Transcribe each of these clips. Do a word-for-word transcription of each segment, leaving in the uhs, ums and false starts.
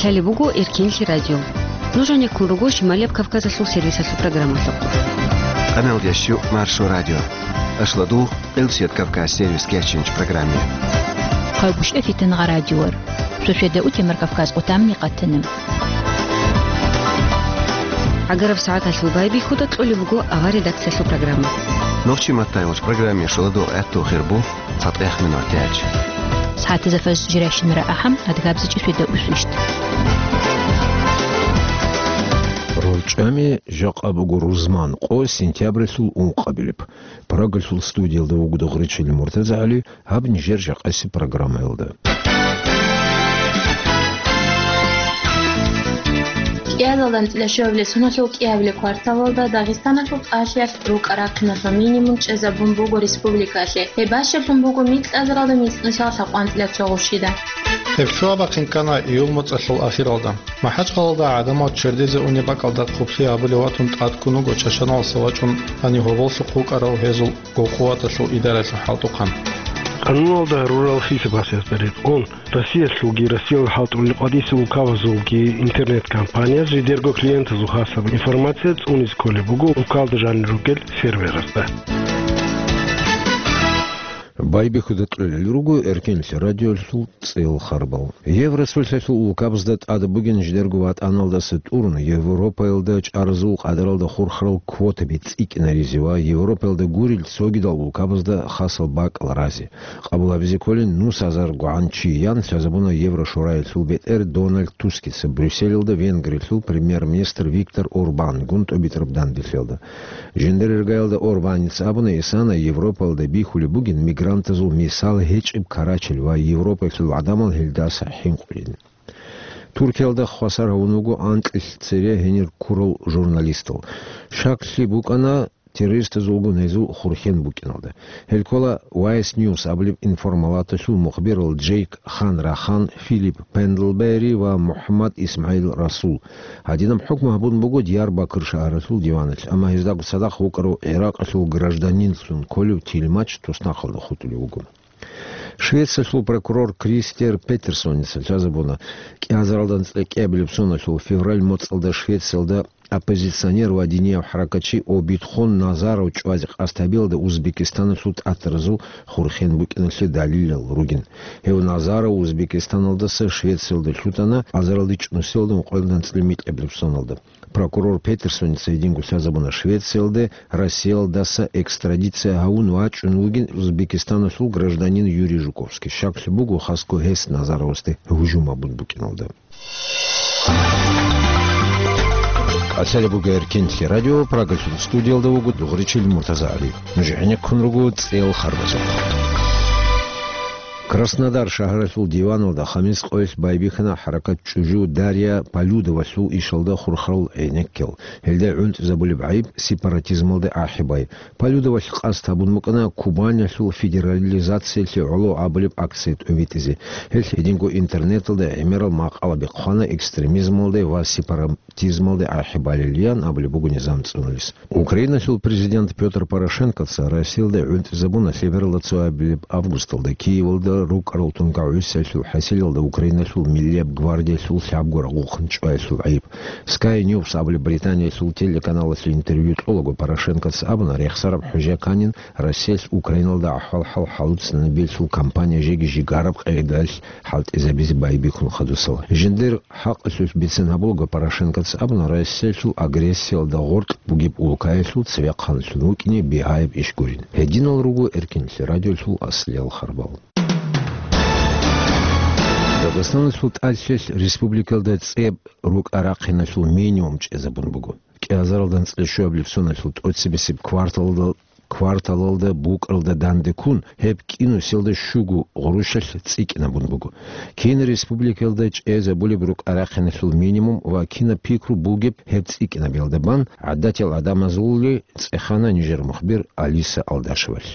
Лъалеб буго Эркенлъи радио. Нуж гӀенеккун руго Шималияб Кавказалъул сервисалъул программалъухъ. Къаналда щу Маршо радио. Ашладу Къилсият Кавказ сервис кечинч программе. Къавгушев Фитангъа радиор. Сосведа Утемар Кавказ къутамни къатана. ГӀагараб сагӀаталъул байбихьуда кьолеб буго авар редакциялъул программа. Нохчи маттайвач программе шоладу гӀатту хирбу цатӀех минутач. СагӀатазда фаз жиращинара ахӀам адгабзичӀи сосведа усвищ. Рорчами жакъа буго рузман къо сентябралъул ункъабилеб. Прагалъул студиялда вуго Дугъричил МуртазагӀали, гьаб нижер жакъаси программаялда. КӀиазалда анцӀила щуабилеб соналъул кӀиабилеб кварталалда Дагъистаналъул тӀалъиялъ рукӀа-рахъиналъул минимум чӀезабун буго республикалъе. Гьеб бащалъун буго микьазаралда мицӀнусиялъа къванцӀила цо гъущида. Гьеб щуабахъин ккана июль моцӀалъул ахиралда. МахӀачкъалалда гӀадамал чердезе унеб бакӀалда хъублъи гьабулев ватун тӀадккун вуго чачаналдаса вачӀун гьанив гьоболлъухъ вукӀарав гьезул гьукъуваталъул идаралъул хӀалтӀухъан. Къануналда гьарурал хисаб-хӀисабазда рекъон, Россиялъулги Россиял хӀалтӀулел къватӀисел улкабазулги интернет-компанияз жидерго клиентазул хасаб информация цӀунизе кколеб буго улкалда жанир ругел серверазда. Байбихьуда кьолел руго Эркенлъи радиолъул цӀел харбал. Евросулъалъул улкабазда тӀад бугин жидерго ватӀаналдаса тӀурун, Европаялда чӀаразул къадаралда хурхарал квотаби цӀикӀкӀинаризе ва Европаялда гурел цогидал улкабазда хасал бакӀал разе. Къабул гьабизе кколин нус гьазар гӀан чи ян лъазабуна Еврошураялъул бетӀер Дональд Тускица Брюсселалда Венгриялъул премьер-министр Виктор Орбангун тӀубитӀараб данделъиялда. Жиндир иргаялда Орбаница абуна, исана Европалда бихьулеб бугин мигрантазул мисал гьечӀеб карачел ва Европалъул гӀадамал гьелдаса хӀинкъулин. Туркиялда хвасар гьавун вуго анкьилъ цере гьенир ккурал журналистал. Щаклъи букӀана террористазулгун гьезул хурхен букӀиналда. Гьел ккола Vice News абулеб информалаталъул мухбирал Джейк Хан Рахан, Филипп Пендлбери ва МухӀаммад ИсмагӀил Расул. Гьадинаб хӀукму гьабун буго Диярбакыр шагьаралъул диваналъ, амма гьездаго цадахъ вукӀарав ГӀиракъалъул гражданинлъун кколев тилмач туснахъалда хутӀулев вуго. Швециялъул прокурор Кристер Петерсоница лъазабуна, кӀиазаралда анцӀила кӀиабилеб соналъул февраль моцӀалда Швециялда оппозиционер ва динияв хӀаракатчи Обидхон Назаров чӀвазе къасд гьабиялда Узбекистаналъул тӀатаразул хурхен букӀиналъе далилал ругин. Гьев Назаров Узбекистаналдаса Швециялде лъутана азаралда чӀунусиялда ункъоялда анцӀила микьабилеб соналда. Прокурор Петерсоница гьединго лъазабуна Швециялде Россиялдаса экстрадиция гьавун вачӀун вугин Узбекистаналъул гражданин Юрий Жуковский. Щаклъи буго хасго гьес Назаровасде гьужум гьабун букӀиналда. Лъалеб буго Эркенлъи радио, Прагалъул студиялда вуго Дугъричил МуртазагӀали. Нуж гӀенеккун руго цӀел харбазухъ. Краснодар шагьаралъул диваналда хамис къоялъ байбихьана хӀаракат чӀужу Дарья Полюдовалъул ишалда хурхарал гӀенеккел. Гьелда гӀунтӀизабулеб гӀайиб сепаратизмалда ахӀи бай. Полюдовалъ къасд гьабун букӀана Кубанялъул федерализациялъе гӀоло абулеб акция тӀобитӀизе. Гьелъ гьединго интернеталда гӀемерал макъалаби хъвана экстремизмалда ва сепаратизмалда ахӀи балилиян абулеб буго низам цӀунулес. Украиналъул президент Пётр Порошенкоца Россиялда гӀунтӀизабуна лъебералда цоабилеб августалда Киевалда рукӀарал тункагӀусиялъул хӀасилалда Украиналъул Миллияб гвардиялъул лъабго рагъухъан чӀваялъул гӀайиб. Sky News абулеб Британиялъул телеканалалъе интервью кьолаго Порошенкоца абуна, рехсараб хӀужа канин Россиялъ Украиналда ахӀвал-хӀал хӀалуцӀанабиялъул кампания жеги жигараб къагӀидалъ хӀалтӀизабизе байбихьун хадусал. Жиндир хӀакъалъулъ бицин гьабулаго Порошенкоца абуна, Россиялъул агрессиялда гъоркь бугеб улкаялъул цевехъанлъун вукӀине бигьаяб иш гурин. Гьединал руго Эркенлъи радиолъул аслиял харбал. Дагъистаналъул тӀалъилъ республикалда цӀеб рукӀа-рахъиналъул минимум чӀезабун буго. КӀиазаралда анцӀила щуабилеб соналъул тӀоцебесеб кварталда, кварталалда букӀаралда данде ккун, гьеб кӀинусиялда щуго гъурущалъ цӀикӀкӀинабун буго. Кин республикалда чӀезабулеб рукӀа-рахъиналъул минимум ва кинаб пикру бугеб гьеб цӀикӀкӀинабиялда бан гӀадатиял гӀадамазулли цӀехана нижер мухбир Алиса Алдашевалъ.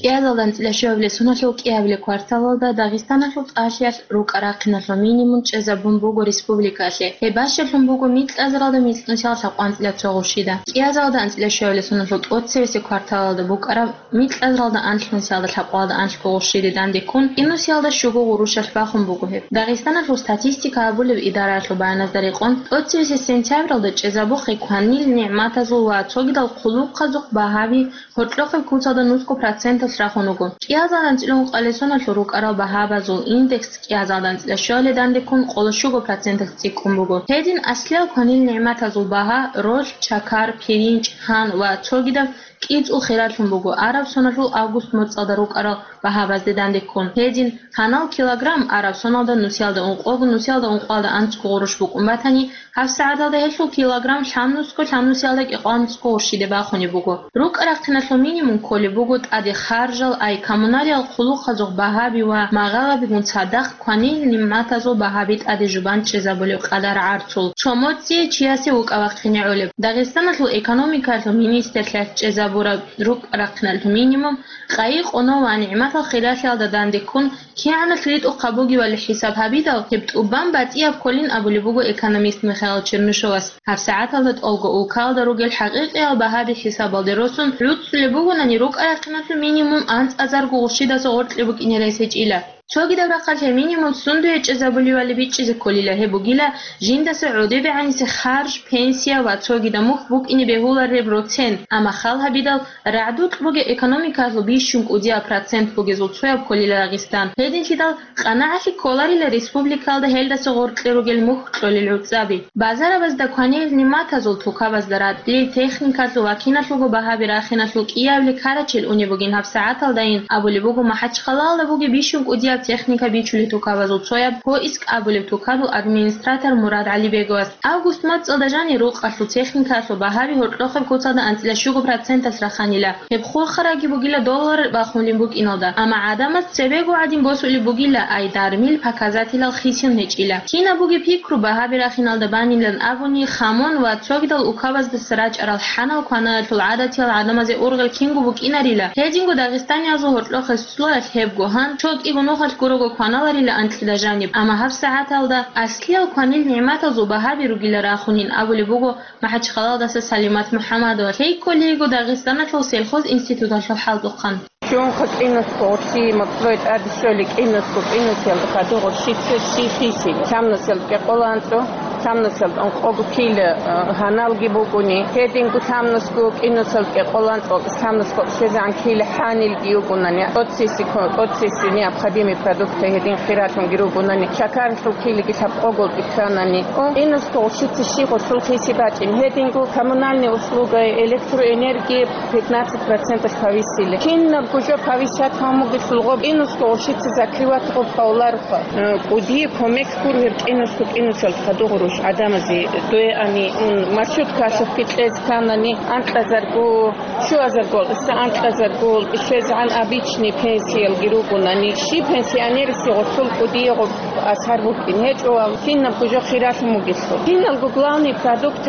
КӀиазалда анцӀила щуабилеб соналъул кӀиабилеб кварталалда Дагъистаналъул тӀалъиялъ рукӀа-рахъиналъул минимум чӀезабун буго республикалъе. Гьеб бащалъун буго микьазаралда микьнусиялда лъабкъванцӀила цо гъурщида. КӀиазалда анцӀила щуабилеб соналъул тӀоцебесеб кварталалда букӀараб микьазаралда анлънусиялда лъабкъвалда анлъго гъурщиде дандеккун, инусиялда щуго гъурущалъ бахун буго гьеб. Дагъистаналъул статистика гьабулеб идараялъул баяназда рекъон, тӀоцебесеб сентябралда чӀезабухъе кванил нигӀматазул ва цогидал хъулухъазухъ багьаби гьоркьохъеб куцалда нусго проценталъ рахун руго. КӀиазалда анцӀила ункъабилеб соналъул рукӀарал багьабазул индекс кӀиазалда анцӀила щуабилеб дандеккун къоло щуго проценталъ цӀикӀкӀун буго. Гьедин аслиял кванил нигӀматазул багьа, ролъ, чакар, пиринч, гьан ва цогидаб кӀицӀул хиралъун буго араб соналъул август моцӀалда рукӀарал багьабазде дандеккун. Гьедин гьанал килограмм араб соналда нусиялда ункъого, нусиялда ункъоялда анцӀго гъурущ букӀун батани, гьабсагӀаталда гьелъул килограмм лъабнусго, лъабнусиялда кӀикъоялда нусго гъурщиде бахунеб буго. РукӀа-рахъиналъул минимум кколеб буго тӀаде харжал, ай коммуналиял хъулухъазухъ багьаби ва магъалабигун цадахъ кванил нигӀматазул багьаби тӀаде жубан чӀезабулеб къадар гӀарцул, цо моцӀие чиясе вукӀа-вахъине гӀолеб. Дагъистаналъул экономикаялъул министрлъиялъ чӀезабураб рукӀа-рахъиналъул минимум къайи-къоно ва нигӀматал хиралъиялда дандеккун кигӀаналъ ритӀухъаб бугебали хӀисаб гьабидал, гьеб тӀубан батӀияб кколин абулеб буго экономист Михаил Чернышевас. ГьабсагӀаталда тӀолго улкаялда ругел хӀакъикъиял багьаби хӀисабалде росун гӀуцӀулеб бугонани, рукӀа-рахъиналъул минимум анцӀазарго гъурщидаса гъоркье букӀине рес гьечӀила. Цогидаб рахъалъе минимум сундуе чӀезабуливали бичӀчӀизе кколила, гьеб бугила жиндаса гӀодобегӀанисе харж, пенсия ва цогидаб мухь букӀине бегьулареб роцен, амма хал гьабидал, рагӀдукь бугеб экономикаялъул бищун кӀудияб процент бугезул цояб кколила Дагъистан. Гьединлъидал къанагӀалъи кколарила республикаялда гьелдаса гъоркье ругел мухь кьолел гӀуцӀаби. Базарабазда кванил нигӀматазул, тукабазда ратӀлил, техникалъул ва киналъулго багьаби рахиналъул кӀиябли карачел унеб бугин гьабсагӀаталдайин абулеб буго МахӀачхъалаялда бугеб бищун кӀудияб техника бичулеб тукабазул цояб «Поиск» абулеб тукабул администратор Мурад ГӀалибеговас. Август моцӀалда жанир рукъалъул техникалъул багьаби гьоркьохъеб куцалда анцӀила щуго проценталъ раханила. Гьеб хурхарабги бугила доллар бахунеб букӀиналда, амма гӀадамаз цебего гӀадин босулеб бугила, ай дармил показателал хисин гьечӀила. Кинаб бугеб пикру багьаби рахиналда банилан абуни, хамон ва цогидал укабаздаса рачӀарал хӀанал кванаялъул гӀадатиял гӀадамазе ургъел кинго букӀинарила. Гьединго дагъистаниязул гьоркьохъеб суалалъ гьебго гьан цо кӀиго нухалъ гурого кваналарила анкьида жаниб, амма гьабсагӀаталда аслиял кванил нигӀматазул багьаби ругила рахунин абулеб буго МахӀачхъалаялдаса Салимат МухӀаммадова, лъей кколейго Дагъистаналъул сельхоз институталъул хӀалтӀухъан. Чунха кӀинусго гъурщи моцӀрой тӀаде щолей, кӀинусго, кӀинусиялда хадур гъурщица щиб хисин, лъабнусиялда кӀикъоялда анцӀго, лъабнусиялда ункъого кило, э, гьаналги бугони, гьединго лъабнусго, кӀинусиялда кӀикъоялда анцӀго, лъабнусго щезегӀан кило хӀанилги югонани, тӀоцеси ко-, тӀоцеси необходимый продукты гьедин хиралъунги ругонани, чакарлъул килоги лъабкъого кканани, о, кӀинусго гъурщица щиб гъурцул хиси бачӀин, гьединго коммунальный услуга, электроэнергия пятнадцать процентов повысили. Кинабго жо повышать гьабун бугелъул гъоб кӀинусго гъурщица закрывать гъоб гьавулароха. Э, кӀудияб кумек гуро гьеб кӀинусго, кӀинусиялда хадур гъурущ гӀадамазе, дое ани ун маршруткалъухъги кьезе кканани, анкьазарго, щуазарго, исса анкьазарго, щезегӀан обычный пенсиялги ругонани, щиб пенсионерасде гъурцул кӀудияб гъоб асар букӀин гьечӀо ва кинабго жо хиралъун бугелъул. Киналго главный продукт,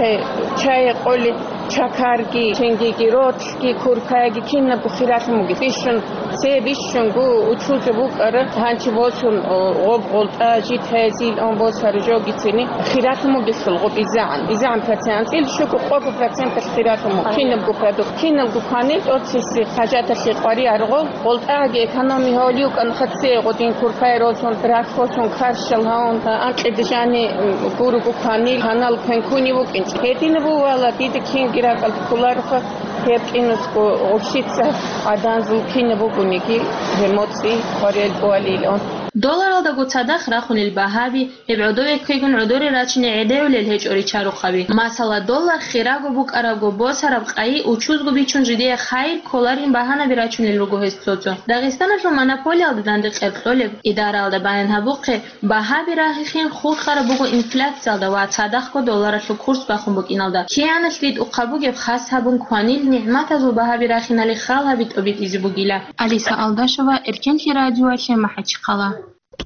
чай къоли, чакарги, ченгиги, ролъги, куркаги, кинабго хиралъун бугелъул. Бищун, цебе бищунго учузаб букӀара, гьанчи босун, о, гъоб гъолтӀа, жит гьезил он босар жогицини хиралъун бугелъул гъоб изегӀан, изегӀан процент, анцӀила щуго-къого проценталъ хиралъун буго. Кинабго продукт, кинабго кванил тӀоцеси хӀажаталъе къваригӀун аргъо, гъолтӀаги экономия гьавулев кӀан хъацӀе гъодин куркай росун, рахъосун, карщал гьавун, анкьида жани, м, гурого кванил гьанал квен ккунев вукӀинчӀо. Гьединаб бувала, дида кинги ракӀалде кколароха, гьеб кӀинусго гъурщица гӀаданзул кинаб бугониги, гьеб моцӀи къваригӀел бугилан. Долларалдаго цадахъ рахунел багьаби, гьеб гӀодове кквегун гӀодоре рачине гӀедегӀулел гьечӀо ричарухъаби. Масала, доллар хирабго букӀарабго, босараб къайи учузго бичун жидее хайир кколарин багьанаби рачунел руго гьес цо-цо. Дагъистаналъул монополиялда дандекъер кьолеб идараялда баян гьабухъе, багьаби рагьихьин хурхараб буго инфляциялда ва цадахъго долларалъул курс бахун букӀиналда. КигӀаналъ ритӀухъаб бугеб хас гьабун кванил нигӀматазул багьаби рахинали хал гьаби тӀобитӀизе бугила. Алиса Алдашева, Эркенлъи радиоялъе МахӀачхъала.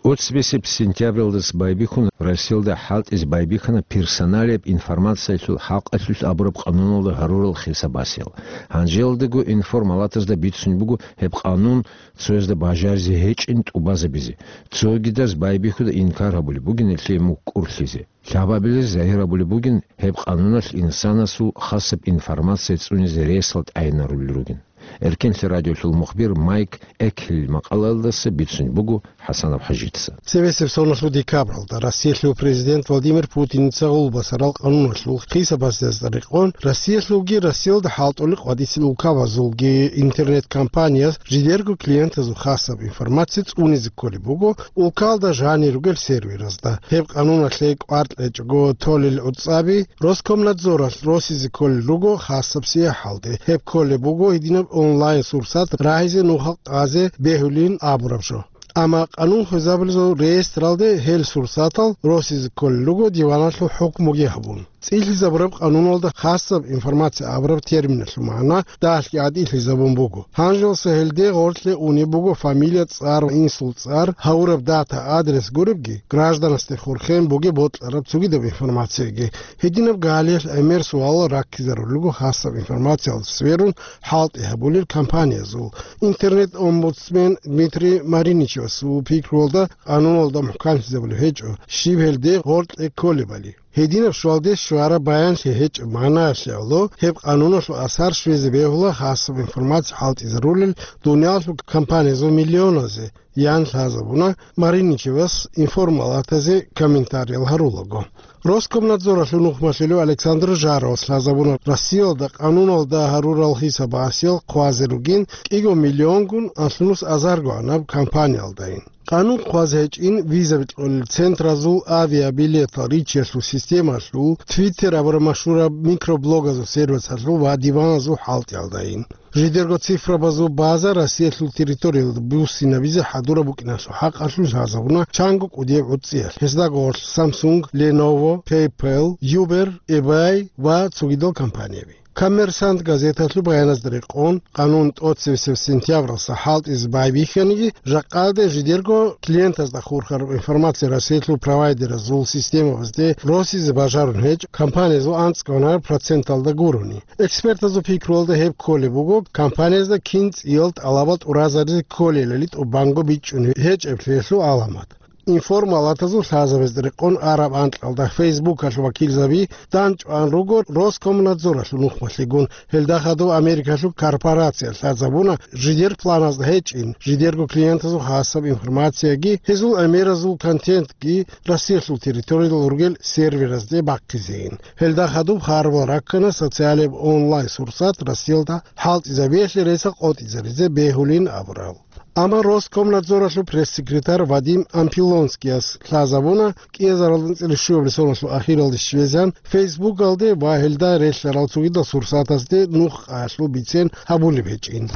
ТӀоцебесеб сентябралдаса байбихьун Россиялда хӀалтӀизе байбихьана персоналияб информациялъул хӀакъалъулъ абураб къануналда гьарурал хисаб-гьасиял. Гьанжеялдаго информалатазда бицунеб буго гьеб къанун цоязда бажаризе гьечӀин тӀубазабизе. Цогидаз байбихьуда инкар гьабулеб бугин гьелъие мухь кӀурлъизе. Лъабабилез загьир гьабулеб бугин гьеб къануналъ инсанасул хасаб информация цӀунизе ресал тӀагӀинарулел ругин. Эркенлъи радиолъул мухбир Майк Экхелил макъалаялдаса бицунеб буго ХӀасанов ХӀажица. Цебесеб соналъул декабралда Россиялъул президент Владимир Путиница гъулбасарал къануналъул хисаб-гьасиязда рекъон, Россиялъулги Россиялда хӀалтӀулел къватӀисел улкабазулги интернет-компанияз жидерго клиентазул хасаб информация цӀунизе кколеб буго улкалда жанир ругел серверазда. Гьеб къануналъе кӀвар кьечӀого толел гӀуцӀаби Роскомнадзоралъ росизе кколел руго хасаб сияхӀалде. Гьеб кколеб буго гьединаб онлайн-сурсат рагьизе нухал къазе бегьулин абураб жо. Амма къанун хвезабулезул реестралде гьел сурсатал росизе кколел руго диваналъул хӀукмуги гьабун. ЦӀилъизабураб къануналда хасаб информация абураб терминалъул магӀна дагьалъги гӀадиллъизабун буго. Гьанжелса гьелде гъорлъе унеб буго фамилия, цӀар, инсул цӀар, гьавураб дата, адрес гуребги, гражданасде хурхен бугеб бокьараб цогидаб информацияги. Гьединаб гьалиялъ гӀемер суалал раккизарулел руго хасаб информациялда сверун хӀалтӀи гьабулел компаниязул. Интернет-омбудсмен Дмитрий Мариничевасул пикруялда къануналда мухӀканлъизабулеб гьечӀо, щиб гьелде гъоркье кколебали. Гьединаб щвалде щвараб баянлъи гьечӀеб магӀнаялъе гӀоло, гьеб къануналъул асар щвезе бегьула хасаб информация хӀалтӀизарулел дуниялалъул компаниязул миллионазе, ян лъазабуна Мариничевас информалатазе комментариял гьарулаго. Роскомнадзоралъул нухмалъулев Александр Жаровас лъазабуна Россиялда къануналда гьарурал хисаб-гьасиял хъвазе ругин кӀиго миллионгун анлънус азаргогӀанаб компаниялдайин. Къанун хъвазе гьечӀин визаби кьолел центразул, авиабилетал ричиялъул системалъул, Twitter абураб машгьураб микроблогазул сервисалъул ва диваназул хӀалтӀиялдайин. Жидерго цифрабазул база Россиялъул территориялда буссинабизе хӀадураб букӀиналъул хӀакъалъулъ лъазабуна чанго кӀудияб гӀуцӀиялъ. Гьезда гъорлъ Samsung, Lenovo, PayPal, Uber, eBay ва цогидал компанияби. Коммерсант газеталъул баяназда рекъон, къанун тӀоцевесев сентябралса хӀалтӀизе байбихьаниги, жакъаялде жидерго клиентазда хурхараб информация Россиялъул провайдеразул системабазде росизе бажарун гьечӀ, компаниязул анцӀгонаре проценталда гурони. Экспертазул пикруялда гьеб кколеб буго, компаниязда кин цӀиял тӀалабал тӀуразаризе кколелали тӀубанго бичӀчӀун гьечӀеблъиялъул гӀаламат. Информалатазул лъазабазда рекъон араб анкьалда Фейсбукалъул вакилзаби данчӀван руго Роскомнадзоралъул нухмалъигун. Гьелда хадуб Америкалъул корпорация лъазабуна жидер планазда гьечӀин, жидерго клиентазул хасаб информацияги гьезул гӀемеразул контентги Россиялъул территориялда ругел серверазде бахъизейин. Гьелда хадуб харбал раккана социалияб онлайн-сурсат Россиялда хӀалтӀизабиялъе ресал къотӀизаризе бегьулин абурал. Амма Роскомнадзоралъул пресс-секретарь Вадим Ампилонскияс лъазабуна, кӀиазаралда анцӀила щуабилеб соналъул ахиралде щвезегӀан Фейсбукалде ва гьелда релълъарал цогидал сурсатазде нух къаялъул бицен гьабулеб гьечӀин.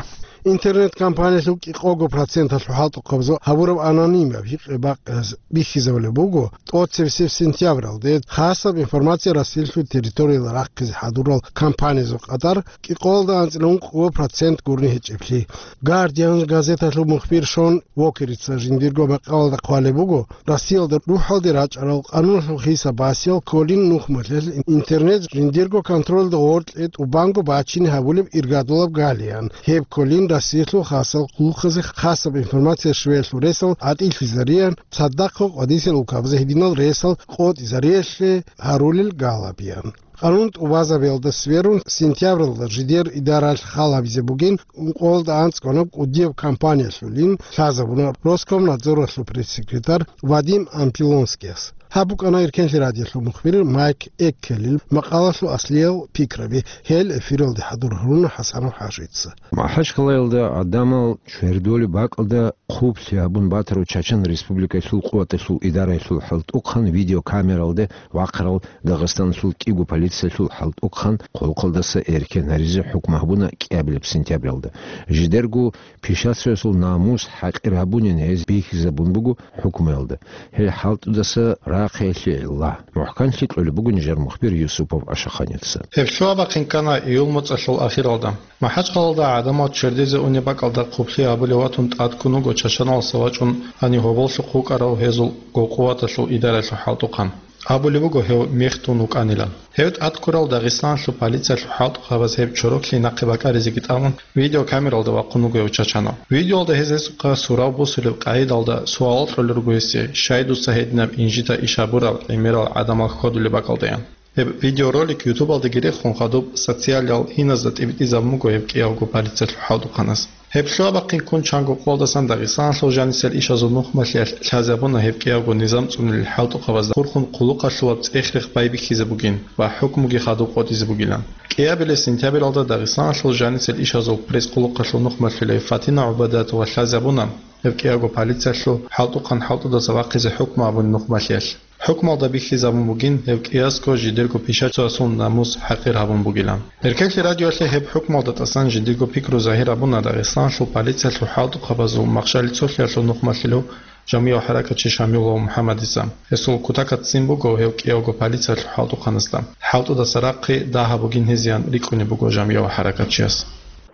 Интернет-компаниялъул кӀикъого проценталъул хӀалтӀухъабазул гьабураб анонимаб гьикъи-бакъиялъ бихьизабулеб буго, тӀоцебесеб сентябралде хасаб информация Россиялъул территориялда рахъизе хӀадурал компаниязул къадар кӀикъоялда анцӀила ункъо процент гурони гьечӀеблъи. Гардиан газеталъул мухбир Шон Уокерица жиндирго макъалаялда хъвалеб буго, Россиялда рухӀалде рачӀарал къануналъул хисаб-гьасиял кколин нухмалъ интернет жиндирго контролда гъоркье тӀубанго бачине гьабулеб иргадулаб галиян. Гьеб кколин Россиялъул хасал хъулухъазе хасаб информация щвеялъул ресал гӀатӀилъизариян, цадахъго къватӀисел улкабазе гьединал ресал къотӀизариялъе гьарулел галабиян. Къанун тӀубазабиялда сверун, сентябралда жидер идаралъ хал гьабизе бугин ункъоялда анцӀгояб кӀудияб компаниялъулин лъазабуна Роскомнадзоралъул пресс-секретарь Вадим Ампилонскияс. Гьаб букӀана Иркенлъи радиолъул мухбир Майк Эккелил макъалалъул аслиял пикраби. Гьел эфиралде хӀадур гьаруна ХӀасанов ХӀажица. МахӀачкъалаялда гӀадамал чвердолеб бакӀалда хъублъи гьабун батарав Чачан Республикалъул къуваталъул идараялъул хӀалтӀухъан видеокамералде вахъарал Дагъистаналъул кӀиго полициялъул хӀалтӀухъан хъулухъалдаса эркен гьаризе хӀукму гьабуна кӀиабилеб сентябралда. Жидерго пишацоясул намус хӀакъир гьабунин гьез бихьизабун буго хӀукмуялда. Гьел хӀалтӀудаса нахъеялъе илла, мухӀканлъи кьолеб буго нижер мухбир Юсупов Ашаханица. Гьеб лъугьа-бахъин ккана июль моцӀалъул ахиралда. МахӀачхъалалда гӀадамал чердезе унеб бакӀалда хъублъи гьабулев ватун тӀадккун вуго чачаналдаса вачӀун гьанив гьоболлъухъ вукӀарав гьезул Гъулкъуваталъул идаралъул хӀалтӀухъан. Абулеб буго гьев мехтун вукӀанилан. Гьев тӀадккурал Дагъистаналъул полициялъул хӀалтӀухъабаз гьеб чороклъи нахъе бакӀаризеги тӀамун, видеокамералда вахъун вуго гьев чачанав. Видеоялда гьез гьесухъа сурав бусулеб къагӀидалда суал кьолел руго гьесие, щай дуца гьединаб инжита иш гьабурал гӀемерал гӀадамал хьодулеб бакӀалдаян. Гьеб видеоролик ютубалдаги рехун хадуб социалиял гьиназда тӀибитӀизабун буго гьеб кӀиявго полициялъул хӀалтӀухъанас. Гьеб лъугьа-бахъин ккун чанго къоялдасан Дагъистаналъул жанисел ишазул нухмалъиялъ лъазабуна гьеб кӀиявго низам цӀунулел хӀалтӀухъабазда хурхун хъулухъалъулаб цӀех-рех байбихьизе бугин ва хӀукмуги хадуб къотӀизе бугилан. КӀиабилеб сентябралда Дагъистаналъул жанисел ишазул пресс-хъулухъалъул нухмалъулев Фатина ГӀубадатова лъазабуна гьеб кӀиявго полициялъул хӀалтӀухъан хӀалтӀудаса вахъизе хӀукму абун нухмалъиялъ. ХӀукмалда бихьизабун бугин гьев кӀиясго жидерго пишацоясул намус хӀакъир гьабун бугилан. Эркенлъи радиоялъе гьеб хӀукмалда тӀасан жидерго пикру загьир гьабуна Дагъистаналъул полициялъул хӀалтӀухъабазул махщел цолъиялъул нухмалъулев жамигӀав хӀаракатчи Шамилов МухӀаммадица. Гьесул кутакалда ццин буго гьев кӀиявго полициялъул хӀалтӀухъанасда. ХӀалтӀудаса рахъе дагьаб бугин гьезиян рикӀкӀунеб буго жамигӀав хӀаракатчияс.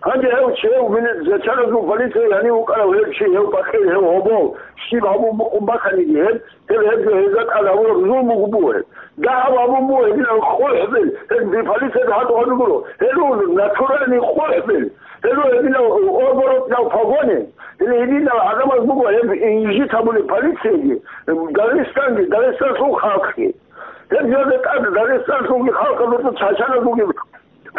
Гьанже гьев чи, гьев милиц-, чачаназул полиция гьанив вукӀарав гьев чи, гьев пакъир, гьев гьобол, щиб гьабун букӀун бахъаниги гьеб, гьеб гьебги гьезда тӀад гьабураб зулму буго гьеб. Дагьаб гьабун буго гьединаб къухӀбел, гьеб полициялда хӀалтӀухъан гуро, гьелъул натуральный къухӀбел, гьелъул гьединаб оборотнал погоны, гьелъул гьединал гӀадамаз буго гьеб инжит гьабулеб полицияги, Дагъистанги, Дагъистаналъул халкъги. Гьеб гьезда тӀад Дагъистаналъулги халкъалъулги чачаназулги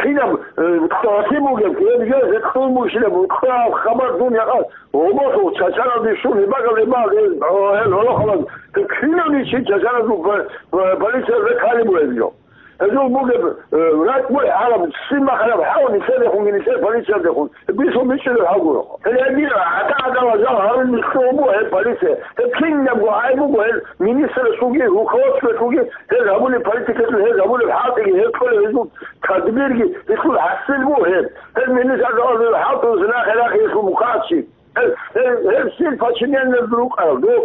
кинаб, э, къасим бугеб, гьеб жо гьекъон бушилеб, хабар дун якъа гьоболлъухъ чачаналде щун, гьеб бакӀал, гьеб бакӀал, гьел гьолохъабаз, гьеб кинабниги чи чачаназул п-, п-, полициялда ккани бугеб жо. Гьезул бугеб, э, ракӀ бугеб гьалаб, ццин бахъараб хӀал нилъерехунги нилъер полициялдехун, гьеб бицун бичӀчӀулеб хӀал гуро. Гьел гьедин гӀада-гӀадала жал гьарун нилъго буго гьеб полиция. Гьеб кинабго гӀайиб буго гьел министрасулги, руководствоялъулги, гьез гьабулеб политикалъул, гьез гьабулеб хӀалтӀиги, гьез кьолеб гьезул тадбирги, гьелъул хӀасил буго гьеб. Гьез министр гьалаб хӀалтӀулъ нахъе-нахъе гьелъул бухъанщик. Гьез, гьез, гьез сил подчиненныйзул рукӀарал, дов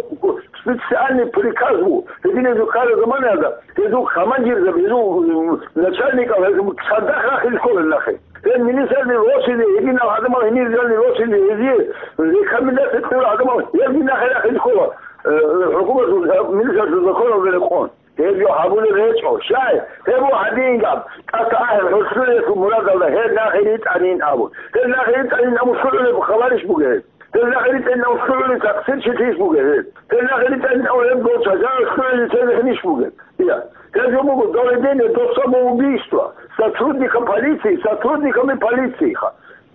специальный приказ буго. Гьединаб жо ккараб заманаялда гьезул командирзаби, гьезул, м, начальникал, гьезул цадахъ рахъине ккола нахъе. Гьел министралде росизе, гьединал гӀадамал гьенир жанир росизе, гьезие рекомендация кьурал гӀадамал гьелги нахъе рахъине ккола, э, хӀукуматалъул, э, министралъул законалда рекъон. Гьеб жо гьабулеб гьечӀо. Щай? Гьеб буго гьадингаб, тӀаса ахӀи хӀусулъиялъул мурадалда гьел нахъе ритӀанин абун. Гьел нахъе ритӀанин абун лъугӀулеб хабарищ бугеб гьеб? Гьел нахъе ритӀанин абун лъугӀулеб такъсирчилъийищ бугеб гьеб? Гьел нахъе ритӀанин абун гьеб дол чагӀазда лъугӀулеб цебехӀинищ бугеб? Я. Гьеб жо буго доведение до самоубийства сотрудником полиции, сотрудниками полиции.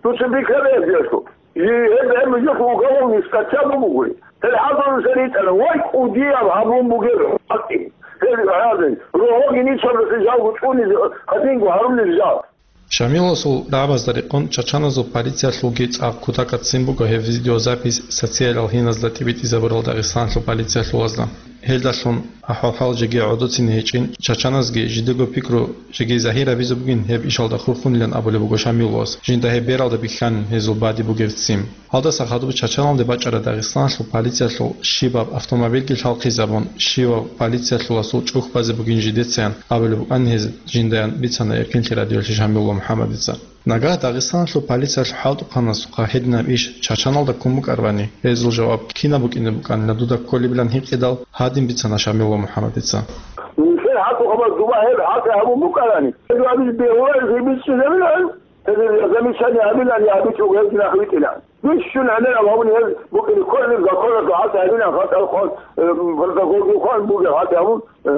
Дуца бикьараб гьеб жо. Гьеб, гьеб жо уголовный статья бугоги. Гьел гьабун саритӀана, вай, кӀудияб гьабун бугеб гьатӀи. Гьел гьадин, рогьоги ничалдаса жалго цӀунизе, гьадинго гьарулел жал. Шамиласул дагӀбазда рекъон чачаназул полициялъулги цӀакъ кутакалда ццин буго гьеб видеозапись социалиял гьиназда тӀибитӀизабурал Дагъистаналъул полициялъулазда. Гьелдалъун ахӀвал-хӀал жеги гӀодоцине гьечӀин, чачаназги жидего пикру жеги загьир гьабизе бугин гьеб ишалда хурхунилан абулеб буго Шамиловас, жинда гьеб бералда бихьанин гьезул бадиб бугеб ццин. Гьалдаса хадуб чачаналде бачӀараб Дагъистаналъул полициялъул щибаб автомобильги лъалхъизабун, щибаб полициялъуласул чӀухь базе бугин жидецаян абулеб букӀан гьез жиндаян бицана Эркенлъи радиоялъе Шамилла МухӀаммадица. Нагагь Дагъистаналъул полициялъул хӀалтӀухъанасухъа гьединаб иш чачаналда ккун букӀарабани, гьезул жаваб кинаб букӀине букӀанила дуда кколебилан гьикъидал, гьадин бицана Шамилла МухӀаммадица. Нилъер хӀалтӀухъабаз дуба гьеб хӀалтӀи гьабун букӀарани, гьеб абизе бегьуларизе бичӀчӀизабилан, гьезул замечание гьабилан, я гьабичӀого гьезги нахъ витӀилан. Бищун гӀемерал гьабуни гьез букӀине кколеб законалъул хӀалтӀи гьабилан, хатӀал хъван, э, протоколги хъван бугеб хӀалтӀи гьабун, э,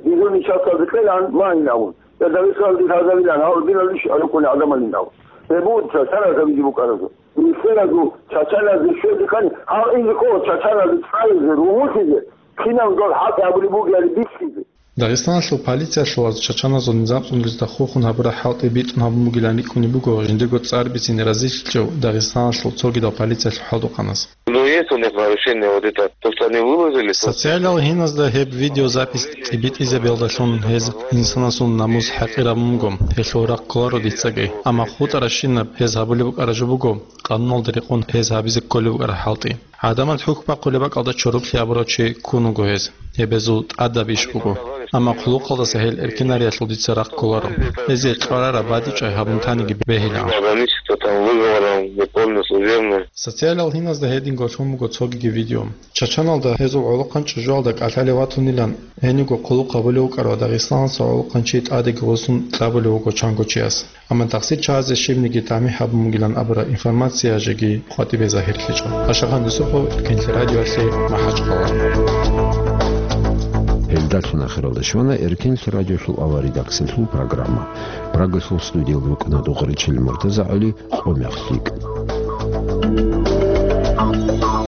дезул нижеца бикьилан магьин абун. Я Дагъистаналде лъазабилан, гьав динал иш гьаруккуни гӀадамалин абун. Гьеб буго чачаназ гьабизе букӀаразул. Нилъеразул чачаназде щвезе ккани, гьав инзе ккола чачаназде цӀализе, ругьунлъизе, кинаб дол хӀалтӀи гьабулеб бугебали бихьизе. Дагъистаналъул полициялъулаз чачаназул низам цӀунулезда хурхун гьабураб хӀалтӀи битӀун гьабун бугилан рикӀкӀунеб буго жиндего цӀар бицин разилъичӀев Дагъистаналъул цогидал полициялъул хӀалтӀухъанас. Ну, есть у них нарушение, вот это, то, что они выложили, то, что Социалиял гьиназда гьеб видеозапись тӀибитӀизабиялдалъун гьез инсанасул намус хӀакъир гьабун буго, гьелъул рахъ кколаро дицаги. Амма хутӀаращинаб гьез гьабулеб букӀараб жо буго, къануналда рекъон гьез гьабизе кколеб букӀараб хӀалтӀи. ГӀадамал хӀухь бахъулеб бакӀалда чороклъи гьабурав чи ккун вуго гьез. Гьеб гьезул тӀадаб иш буго. Амма хъулухъалдаса гьел эркинариялъул дица рахъ кколаро. Гьезие кьварараб бадибчӀвай гьабун таниги бегьилаан. Ограничиться там выговором, законно, служебно. Социалал гьиназда гьединго лъун буго цогиги видео. Чачаналда гьезул гӀолохъанчӀ жугьалда кӀалъалев ватунилан, гьениго хъулухъ гьабулев вукӀарав дагъистаналъул гӀолохъанчи тӀадеги гъосун кьабулев вуго чанго чияс. Амма тахсир чагӀазе щибниги тамихӀ гьабун бугилан абураб информация жеги къватӀибе загьирлъичӀо. Ашагъан Юсупов, Эркинлъи радиоялъе, МахӀачхъала. Гьелдалъун ахиралда щвана Эркинлъи радиолъул авария редакциялъул программа. Прагалъул студиялда рукӀана Дукъаричил Муртаза ГӀали, къо мех лъикӀ.